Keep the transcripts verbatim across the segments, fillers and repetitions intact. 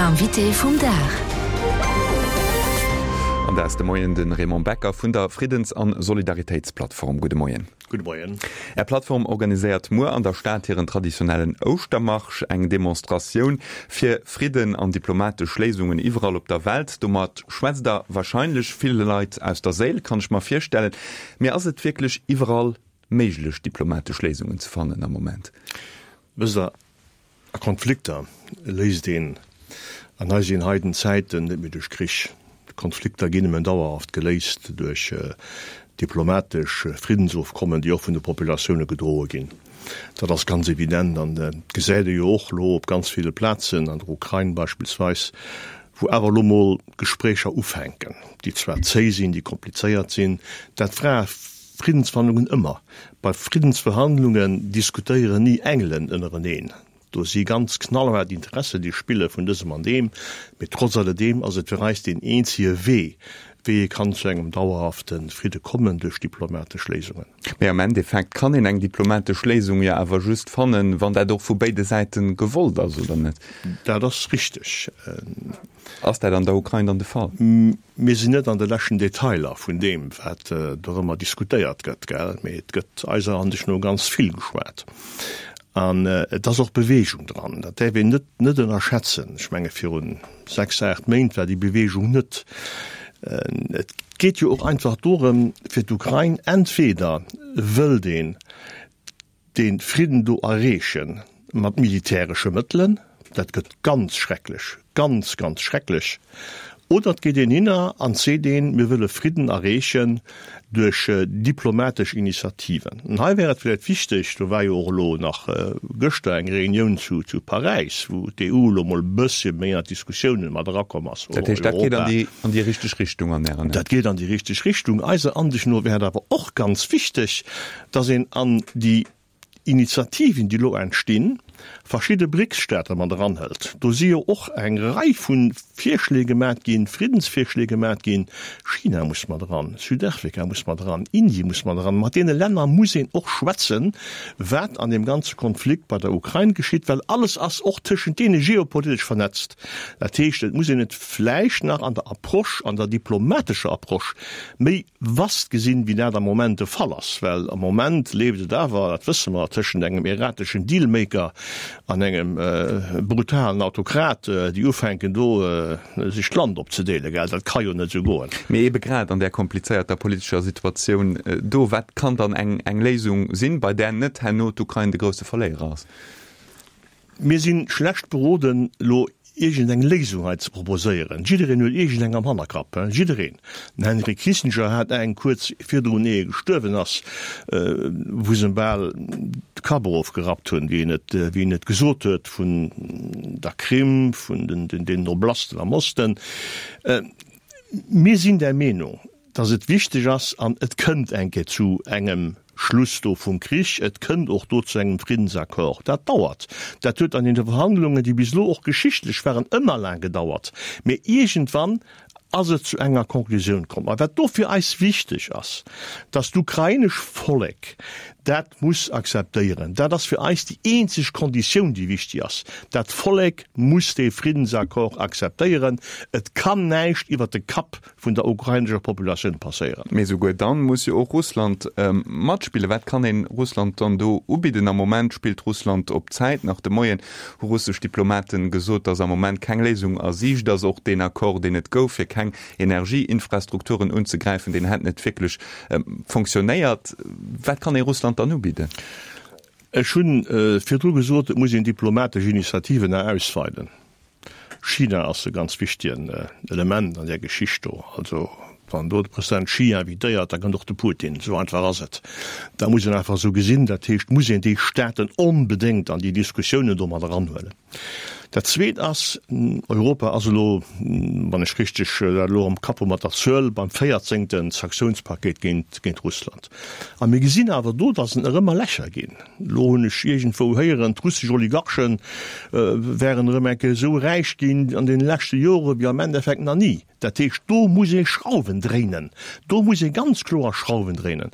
Invité vum Dag. An dat ass de Moien de Raymond Becker vun der Friddens an Solidaritéitsplattform. Gudde Moien. Gudde Moien. Är Plattform organiséiert muer an der Stad hiren traditionellen Ouschtermarsch, eng Demonstratioun fir Fridden an diplomatesch Léisungen iwwerall op der Welt. Domat schwätzt der warscheinlech ville Leit aus der Séil, kann ech mer virstellen. Mee ass et wierklech iwwerall méiglech, diplomatesch Léisungen ze fannen am Moment? Wësst Der, a Konflikter léist een an eisen heiden Zäiten net méi duerch Krich. Konflikter ginn nëmmen dauerhaft geléist duerch diplomatesch Friddensofkommen, déi och vun de Populatioune gedroe ginn. Dat ass ganz evident an dat gesäit ee jo och elo op ganz ville Plazen, an der Ukrain beispillsweis, wou awer elo mol Gespréicher ufänken, déi zwar zéi sinn, déi komplizéiert sinn. Dat war Friddensverhandlungen ëmmer. Bei Friddensverhandlungen diskutéieren ni Engelen ënnereneen. Do si ganz knallhaart Interessen, déi spille vun dësem an deem. Mee trotz alledeem ass et fir eis deen eenzege Wee, wéi ee kann zu engem dauerhafte Fridde kommen, duerch diplomatesch Léisungen. Mee am Endeffekt kann een eng diplomatesch Léisung jo awer just fannen, wann dat och vu béide Säite gewollt ass, oder net? Dat ass richteg. Ass dat an der Ukrain dann de Fall? Mir sinn net an de leschten Detailer vun deem, wat dorëmmer diskutéiert gëtt, gell, mee et gëtt eiser Ansicht no ganz vill geschwat. An et ass och Beweegung dran. Dat däerf een net net ënnerschätzen. Ech menge viru sechs, aacht Méint war déi Beweegung net. Et geet jo och einfach dorëm, fir d'Ukrain, entweder wëllt een dee Fridden do erreeche mat militäresche Mëttelen, dat gëtt ganz schrecklech, ganz, ganz schrecklech, oder et geet een hinner an seet een, mir wëlle Fridden erreechen duerch diplomatesch Initiativen. An hei wär et vläicht wichteg, do war jo och elo nach gëschter eng Reunioun zu Paräis, wou d'EU elo mol e bëssche méi an d'Diskussiounen mat erakomm ass, Dat heescht, dat geet an déi, an déi richteg Richtung an Ären Aen? Dat geet an déi richteg Richtung. Eiser Ansicht no wär et awer och ganz wichteg, dass een an déi Initiativen, déi elo entstinn, verschidde BRICS-Staate mat eranhëlt. Do si jo och eng Rei vu Virschléi gemat ginn, Friddensvirschléi gemat ginn. China muss mat eran, Südafrika muss mat eran, Indie muss mat eran. Mat deene Länner muss een och schwätzen, wat an deem ganze Konflikt bei der Ukrain geschitt, well alles ass och tëschent deene geopolitesch vernetzt. Dat heescht, et muss een et vläicht nach an der Approche, an der diplomatescher Approche méi vast gesinn, wéi dat am Moment de Fall ass, well am Moment leeft et awer, dat wësse mer, tëschent engem errateschen Dealmaker an engem brutalen Autokrat, déi ufänken do sech d'Land opzedeelen, gell. Dat ka jo net esou goen. Mee eebe grad an där komplizéierter politescher Situatioun do, wat kann dann eng Léisung sinn, bei där net herno d'Ukrain de grousse Verléierer ass? Mir si schlecht beroden, elo iergendeng Léisung hei ze proposéieren. Jiddereen huet iergendeng am Hannerkapp, jiddereen. Den Henry Kissinger hat eng kuerz virdrun, ier e gestuerwen ass, wou se em bal de Kapp erofgerappt hunn, wéi en et, wéi en et gesot huet, vun der Krim, vun den Oblasten am Osten. Mir sinn der Meenung, dass et wichteg ass, an et kënnt eng Kéier zu engem Schluss do vum Krich, et kënnt och do zu engem Friddensaccord. Dat dauert. Dat huet an deene Verhandlungen, déi bis elo och geschichtlech waren, ëmmer laang gedauert. Mee iergendwann ass et zu enger Konklusioun komm. A wat do fir eis wichteg ass, dass d'ukrainesch Vollek dat muss akzeptéieren. Dat ass fir eis déi eenzeg Konditioun, déi wichtig ass. Dat Vollek muss dee Friddensaccord akzeptéieren. Et kann näischt iwwert de Kapp vun der ukrainescher Populatioun passéieren. Mee souguer dann muss jo och Russland matspillen. Wat kann een Russland dann do ubidden? Am Moment spillt Russland op Zäit. Nach de Moien hu russesch Diplomaten gesot, datt am Moment keng Léisung a Siicht ass. Och deen Accord, deen et gouf, fir keng Energieinfrastrukturen unzegräifen, deen hätt net wierklech fonctionnéiert. Wat kann ee Russland dann ubidden? Ech hu virdru gesot, et muss een diplomatesch Initiativen nach ausweiden. China ass e ganz wichtegen Element an där Geschicht do. Also wann do de President Xi invitéiert, da kënnt och de Putin. Esou einfach ass et. Dat muss een einfach esou gesinn. Dat heescht, muss een déi Staaten onbedéngt an déi Diskussiounen do mat eranhuelen. Dat Zweet ass, Europa ass elo, wann ech richteg dat elo am Kapp hu mat der Zuel, beim véierzéngte Sanktiounspaket géint, géint Russland. A mir gesinn awer do, datt et nach ëmmer Lächer ginn. Elo hunn ech iergendwou héieren, d'russesch Oligarche wären erëm eng Kéier esou räich ginn an deene leschte Jore wéi am Endeffekt nach ni. Dat heescht, do muss ee Schrauwen dréinen. Do muss ee ganz kloer Schrauwen dréinen.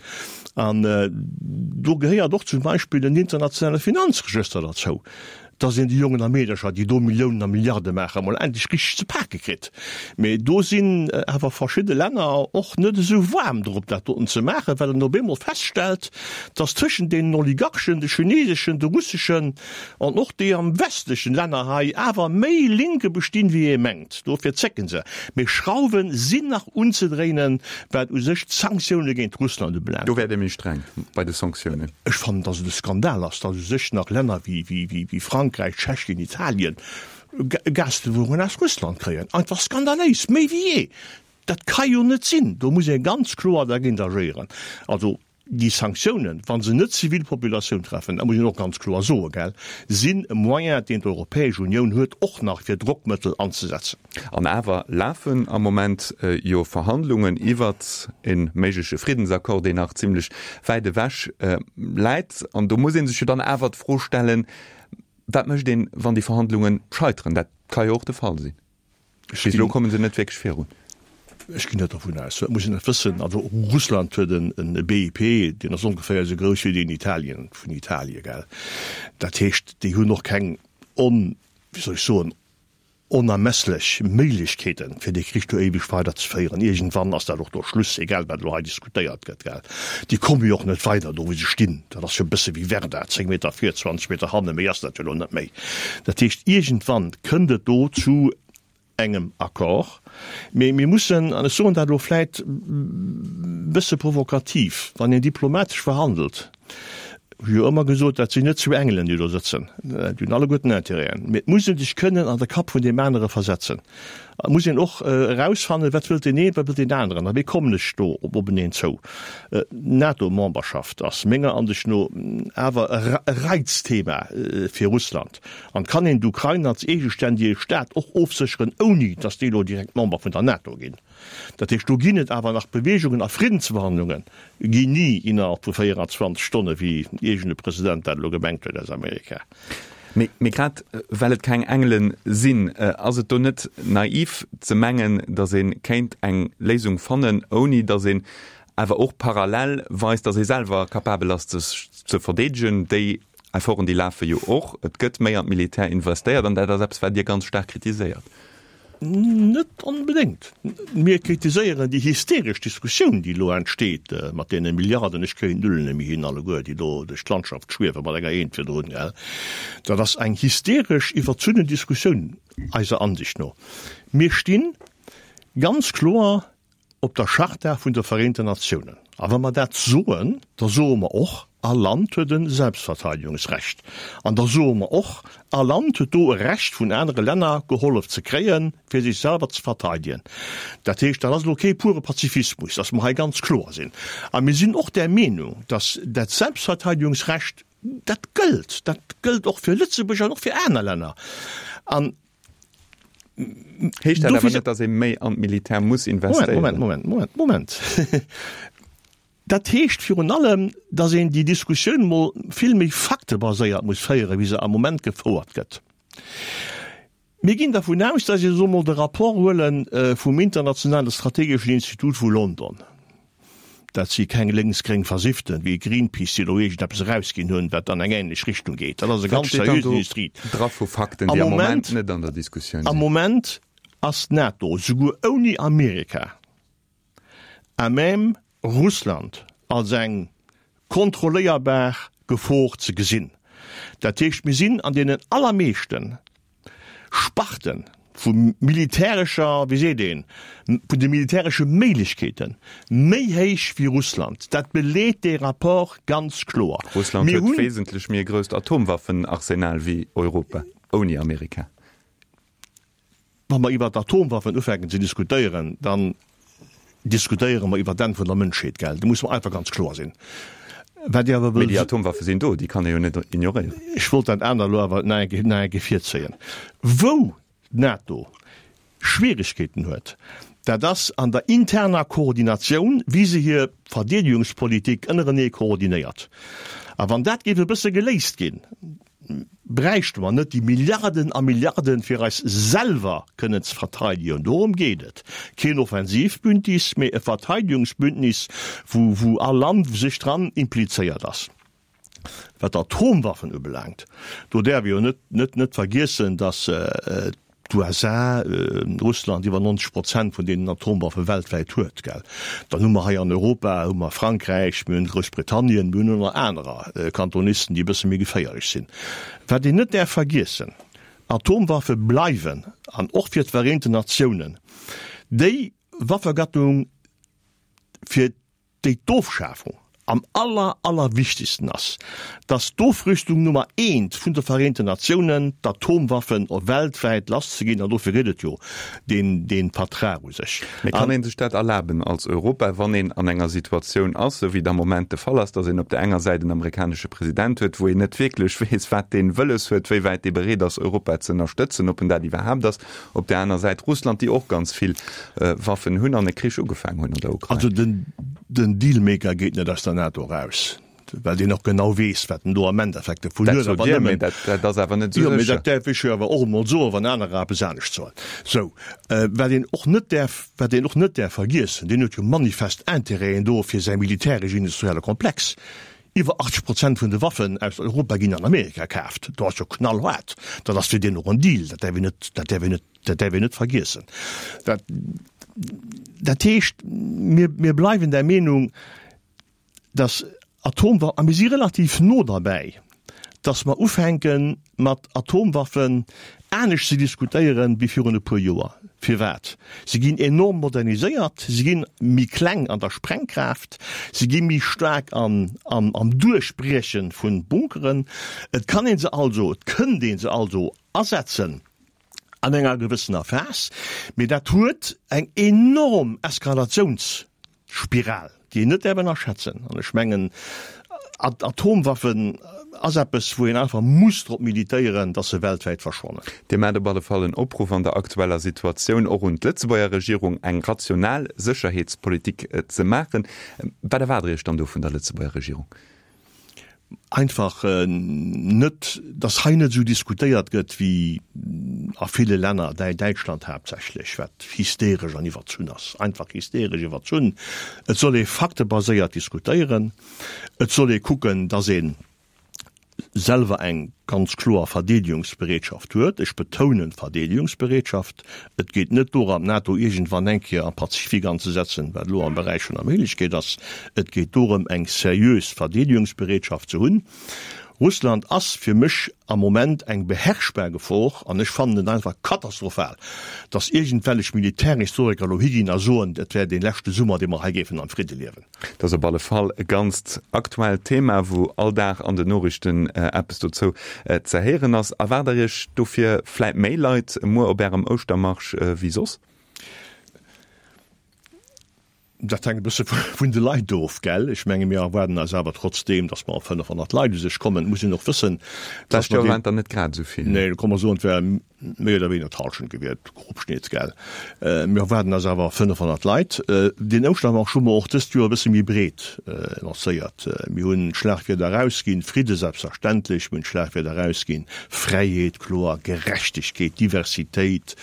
An do gehéiert och zum Beispill en internationale Finanzregëster derzou. dass een déi Jongen a Meedercher, déi do Milliounen a Milliarde maachen, mol endlech richteg ze pake kritt. Mee do sinn awer verschidde Länner och net esou waarm drop, dat doten ze maachen, well een op eemol feststellt, dass tëschent deenen Oligarchen, de chineseschen, de russeschen an och déi am westlechen Länner hei awer méi Linke bestinn, wéi ee mengt. Dofir zécken se. Mee Schrauwe sinn nach unzedréinen, wat u sech d'Sanktioune géint Russland ubelaangt. Do wäert Dir méi streng bei de Sanktiounen. Ech fannen, dass et e Skandal ass, dass u sech nach Länner wéi Frankräich, Tschechien, Italien Gasliwwerungen aus Russland kréien. Einfach skandaléis, méi wéi jee! Dat ka jo net sinn! Do muss ee ganz kloer dergéint agéieren. Also déi Sanktiounen, wa se net d'Zivilpopulatioun treffen, dat muss een och ganz kloer soen, gell, sinn e Moyen, deen d'Europäesch Unioun huet, och nach fir Drockmëttel anzesetzen. An awer lafen am Moment jo Verhandlungen iwwert e méigleche Friddensaccord, deen nach zimlech wäit ewech läit. An do muss ee sech jo dann awer d'Fro stellen, Wat mécht een, wann déi Verhandlunge scheiteren? Dat ka jo och de Fall sinn. Bis elo komme se net wierklech virun. Ech ginn net dervun aus. Dat muss een net wëssen. Also Russland huet e B I P, deen ass ongeféier esou grouss wéi deen Italien, vun Italien, gell. Dat heescht, déi hunn och keng on, wéi soll ech soen, onermesslech Méiglechkeeten, fir dee Krich do éiweg weiderzeféieren. Iergendwann ass dat och do Schluss, egal wat elo hei diskutéiert gëtt, gell. Déi komme jo och net weider do, wou se stinn. Dat ass jo e bësse wéi Verdun, zéng Meter vir, zwanzeg Meter hannen, méi ass dat jo elo net méi. Dat heescht, iergendwann kënnt et do zu engem Accord. Mee mir mussen, an ech soen dat elo vläit e bësse provokativ, wann een diplomatesch verhandelt, hu jo ëmmer gesot, dat sinn net zwee Engelen, déi do sëtzen, déi hunn alleguerten Intérêten, mee et muss ee sech kënnen an de Kapp vun deem anere versetzen. Et muss een och erausfannen, wat wëllt deen een, wat wëllt deen aneren a wéi kommen ech do openeen zou. D'NATO-Memberschaft ass menger Ansicht no awer e Reizthema fir Russland. An kann een d'Ukrain als eegeständege Staat och ofsécheren, ouni datt déi elo direkt Member vun der NATO ginn. Dat heescht, do ginn et awer nach Beweegungen a Friddensverhandlunge ginn ni innerhalb vu véieranzwanzeg Stonne, wéi iergend e President dat elo gemengt huet aus Amerika. Mee grad well et keng Engele sinn, ass et do net naiv ze mengen, datt ee kéint eng Léisung fannen, ouni datt een awer och parallel weist, datt ee selwer capabel ass, sech ze verdeedegen? Déi Efforten, déi lafe jo och. Et gëtt méi an d'Militär investéiert an dat ass eppes, wat Dir ganz staark kritiséiert. Net onbedéngt. Mir kritiséieren déi hysteresch Diskussioun, déi elo entsteet mat deene Milliarden, ech kréien d'Nullen net méi hin alleguer, déi do duerch d'Landschaft schwiewe mat enger Eent virdrun, gell. Dat ass eng hysteresch, iwwerzunnen Diskussioun eiser Ansicht no. Mir sti ganz kloer op der Charta vun de Vereenten Natiounen. A wa mer dat soen, da soe mer och, all Land huet e Selbstverteidigungsrecht. An da soe mer och, all Land huet do e Recht, vun anere Länner gehollef ze kréien, fir sech selwer ze verteidigen. Dat heescht, dat ass elo kee pure Pazifismus, dass mer hei ganz kloer sinn. A mir sinn och där Meenung, dass dat Selbstverteidigungsrecht, dat gëllt, dat gëllt och fir Lëtzebuerg an och fir aner Länner. An Heescht dat awer net, datt ee méi an d'Militär muss investéieren? Moment, Moment, Moment, Moment. Dat heescht virun allem, datt een déi Diskussioun mol vill méi faktebaséiert muss féieren, wéi se am Moment gefouert gëtt. Mir ginn dervun aus, datt ech elo mol de Rapport huele vum Internationale Strategeschen Institut vu London, dat si keng lénks-gréng Versifften wéi Greenpeace, déi elo iergendeppes erausginn hunn, wat an eng änlech Richtung geet. Dat ass e Wat ganz steet dann seriösen do Industrie. dra vu Fakten, Am déi am Moment Moment net an der Diskussioun Am sinn? Moment ass d'NATO, souguer ouni Amerika, à même Russland als eng kontrolléierbar Gefor ze gesinn. Dat heescht, mir sinn an deenen allermeeschten Sparte vu militärescher, wéi seet een, vun de militäresche Méiglechkeete méi héich wéi Russland. Dat beleet dee Rapport ganz kloer. Russland Mir huet hunn. wesentlech méi e grousst Atomwaffenarsenal wéi Europa ouni Amerika. Wa mer iwwer d'Atomwaffen ufänken ze diskutéieren, dann diskutéiere mer iwwer d'Enn vun der Mënschheet, gell? Do musse mer einfach ganz kloer sinn. Wat ech awer Mee wëll. déi Atomwaffe sinn do, déi kann ee jo net ignoréieren. Ech wollt dat anert elo awer nach eng nach eng Kéier virzéien. Wou d'NATO Schwierigkeeten huet, dat ass an der interner Koordinatioun, wéi se hir Verdeedegungspolitik ënnerenee koordinéiert. A wann dat géif e bësse geléist ginn, bräichte mer net déi Milliarden a Milliarden, fir eis selwer kënnen ze verteidigen. Dorëm geet et. Keen Offensivbündnis, mee e Verteidigungsbündnis, wou, wou all Land sech dran implizéiert ass. Wat d'Atomwaffen ubelaangt, do däerf ee jo net, net, net vergiessen, dass d'USA, Russland iwwer neunzeg Prozent vun deenen Atomwaffe weltwäit huet, gell. Dann hu mer hei an Europa hu mer Frankräich, mir hunn Groussbritannien, mir hunn och nach anerer Kantonisten, déi e bësse méi geféierlech sinn. Wat een net däerf vergiessen, Atomwaffe bleiwen, an och fir d'Vereenten Natiounen, déi Waffegattung, fir déi d'Ofschafung am aller, allerwichtigsten ass, dass d'Ofrüstung Nummer eent vun de Vereenten Natiounen, d'Atomwaffen weltwäit lasszeginn, an dofir geet et jo, deen, dee Vertrag u sech. Mee kann ee sech dat erlaben als Europa, wann een an enger Situatioun ass, esou wéi et am Moment de Fall ass, dass een op där enger Säit en amerikanesche President huet, wou een net wierklech weess, wat dee wëlles huet, wéi wäit dee bereet ass, Europa ze ënnerstëtzen, ob en dat iwwerhaapt ass, op där aner Säit Russland, déi och ganz vill Waffen hunn an e Krich ugefaangen hunn an der Ukrain? Also den, den Dealmaker geet net aus der NATO eraus, well deen och genau weess, wat en do am Endeffekt dovun huet. Dat sot Dir, mee dat, dat ass awer net esou sécher. Jo, mee dat däerf ech jo awer och emol soen, wann anerer eppes anescht soen. Sou, wat een och net däerf, wat een och net däerf vergiessen, deen huet jo manifest Intérêten do fir säi militäresch-industrielle Komplex. Iwwer achtzeg Prozent vun de Waffen aus Europa ginn an Amerika kaaft. Do ass jo knallhaart. Dat ass fir deen och en Deal. Dat däerf een net, dat däerf een net, dat däerf een net vergiessen. Dat, dat heescht, mir, mir bleiwen der Meenung, dass Atomwaffen, a mir si relativ no derbäi, dass mer ufänke mat Atomwaffen anescht ze diskutéieren wéi virun e puer Joer. Firwat? Se ginn enorm moderniséiert, se gi méi kleng an der Sprengkraaft, se gi méi staark am, am, am Duerchbrieche vu Bunkeren. Et kann ee se also, et kënnt ee se also asetzen an enger gewëssener Phas, mee dat huet eng enorm Eskalatiouns. Spiral, déi een net däerf ënnerschätzen. An ech mengen, Atomwaffen ass eppes, wou een einfach muss drop militéieren, dass se weltwäit verschwannen. Dir maacht op alle Fall en Opruff an der aktueller Situatioun och un d'Lëtzebuerger Regierung, eng rational Sécherheetspolitik ze maachen. Wat erwaart Der Iech dann do vun der Lëtzebuerger Regierung? Einfach net, dass hei net esou diskutéiert gëtt wéi a ville Länner, Däitschland haaptsächlech, wat hysteresch an iwwerzunn ass, einfach hysteresch iwwerzunn. Et soll ee faktebaséiert diskutéieren. Et soll ee kucken, dass ee selwer eng ganz kloer Verdeedegungsbereetschaft huet. Ech betounen Verdeedegungsbereetschaft. Et geet net dorëm, d'NATO iergendwann eng Kéier am Pazifik anzesetzen, wat elo am Beräich vun der Méiglechkeet ass. Et geet dorëm, eng seriös Verdeedegungsbereetschaft ze hunn. Russland ass fir mech am Moment eng beherrschbar Gefor an ech fannen et einfach katastrophal, dass iergendwellech Militärhistoriker elo higinn a soen, et wär dee leschte Summer, dee mer hei géifen am Fridde liewen. Et ass op alle Fall e ganzt aktuellt Thema, wou all Dag an den Noriichten eppes dozou ze héieren ass. Erwaart Der Iech dofir vläit méi Leit muer op Ärem Ouschtermarsch wéi soss? Dat hänkt e bësse vun de Leit of, gell? Ech menge mir erwaarden eis awer trotzdeem, datt mer op fënnefhonnert Leit u sech kommen. Et muss een och wëssen, datt mer. D'lescht Joer waren et der net grad esou vill. Nee, komm mer soen, et wär méi oder wéiner d'Hallschent gewiert, Grobschnitt, gell? Mir erwaarden eis awer fënnefhonnert Leit. Deen Ouschtermarsch hu mer och dëst Joer e bësse méi breet lancéiert. Mir hunn d'Schlagwierder erausginn, Fridde selbstverständlech, mir hunn d'Schlagwierder erausginn, Fräiheet, kloer, Gerechtegkeet, Diversitéit.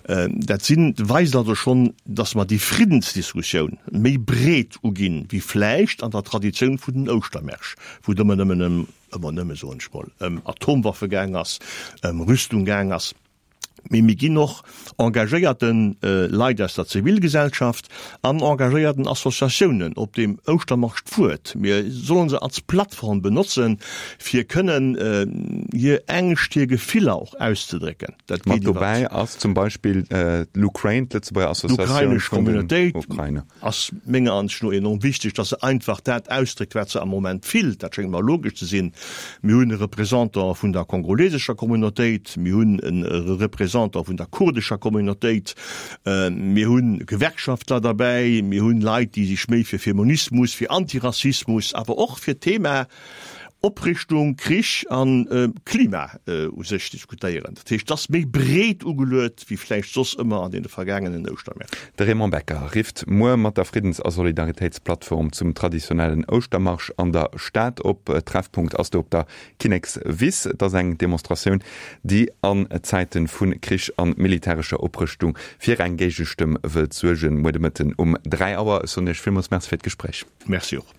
Dat sinn, weist also schonn, datt mer déi Friddensdiskussioun méi breet uginn, wéi vläicht an der Traditioun vun den Ouschtermärsch, wou et ëmmer nëmmen ëm, ëmmer nëmme soen ech mol, ëm Atomwaffe gaang ass, ëm Rüstung gaang ass. Mee mir ginn och engagéierte Leit aus der Zivilgesellschaft an engagéierten Associatiounen op deem Ouschtermarsch d'Wuert. Mir solle se als Plattform benotzen, fir kënnen hir Ängscht, hir Gefiller och auszedrécken. Dat geet iwwer. Mat dobäi ass zum Beispill d'LUKRAINE, d'Lëtzebuerger Associatioun vun den Ukrainer. Ass menger Ansicht no enorm wichteg, dass se einfach dat ausdréckt, wat se am Moment fillt. Dat schéngt mer logesch ze sinn. Mir hunn e Représentant vun der kongolesescher Communautéit, mir hunn e Représentant vun der kurdescher Communautéit, mir hu Gewerkschaftler derbäi, mir hunn Leit, déi sech méi fir Feminismus, fir Antirassismus, awer och fir d'Thema Oprichtung, Krich a Klima u sech diskutéieren. Dat heescht, et ass méi breet ugeluet wéi vläicht soss ëmmer an deene vergaangenen Ouschtermäert. De Raymond Becker rifft muer mat der Friddens a Solidaritéitsplattform zum traditionellen Ouschtermarsch an der Stad op. Treffpunkt ass do op der Kinnekswiss. Et ass eng Demonstratioun, déi an Zäite vu Krich a militärescher Oprëschtung fir eng Géigestëmm wëllt suergen. Muer de Mëtten um dräi Auer. Ech soen Iech villmools Merci fir d'Gespréich. Merci och.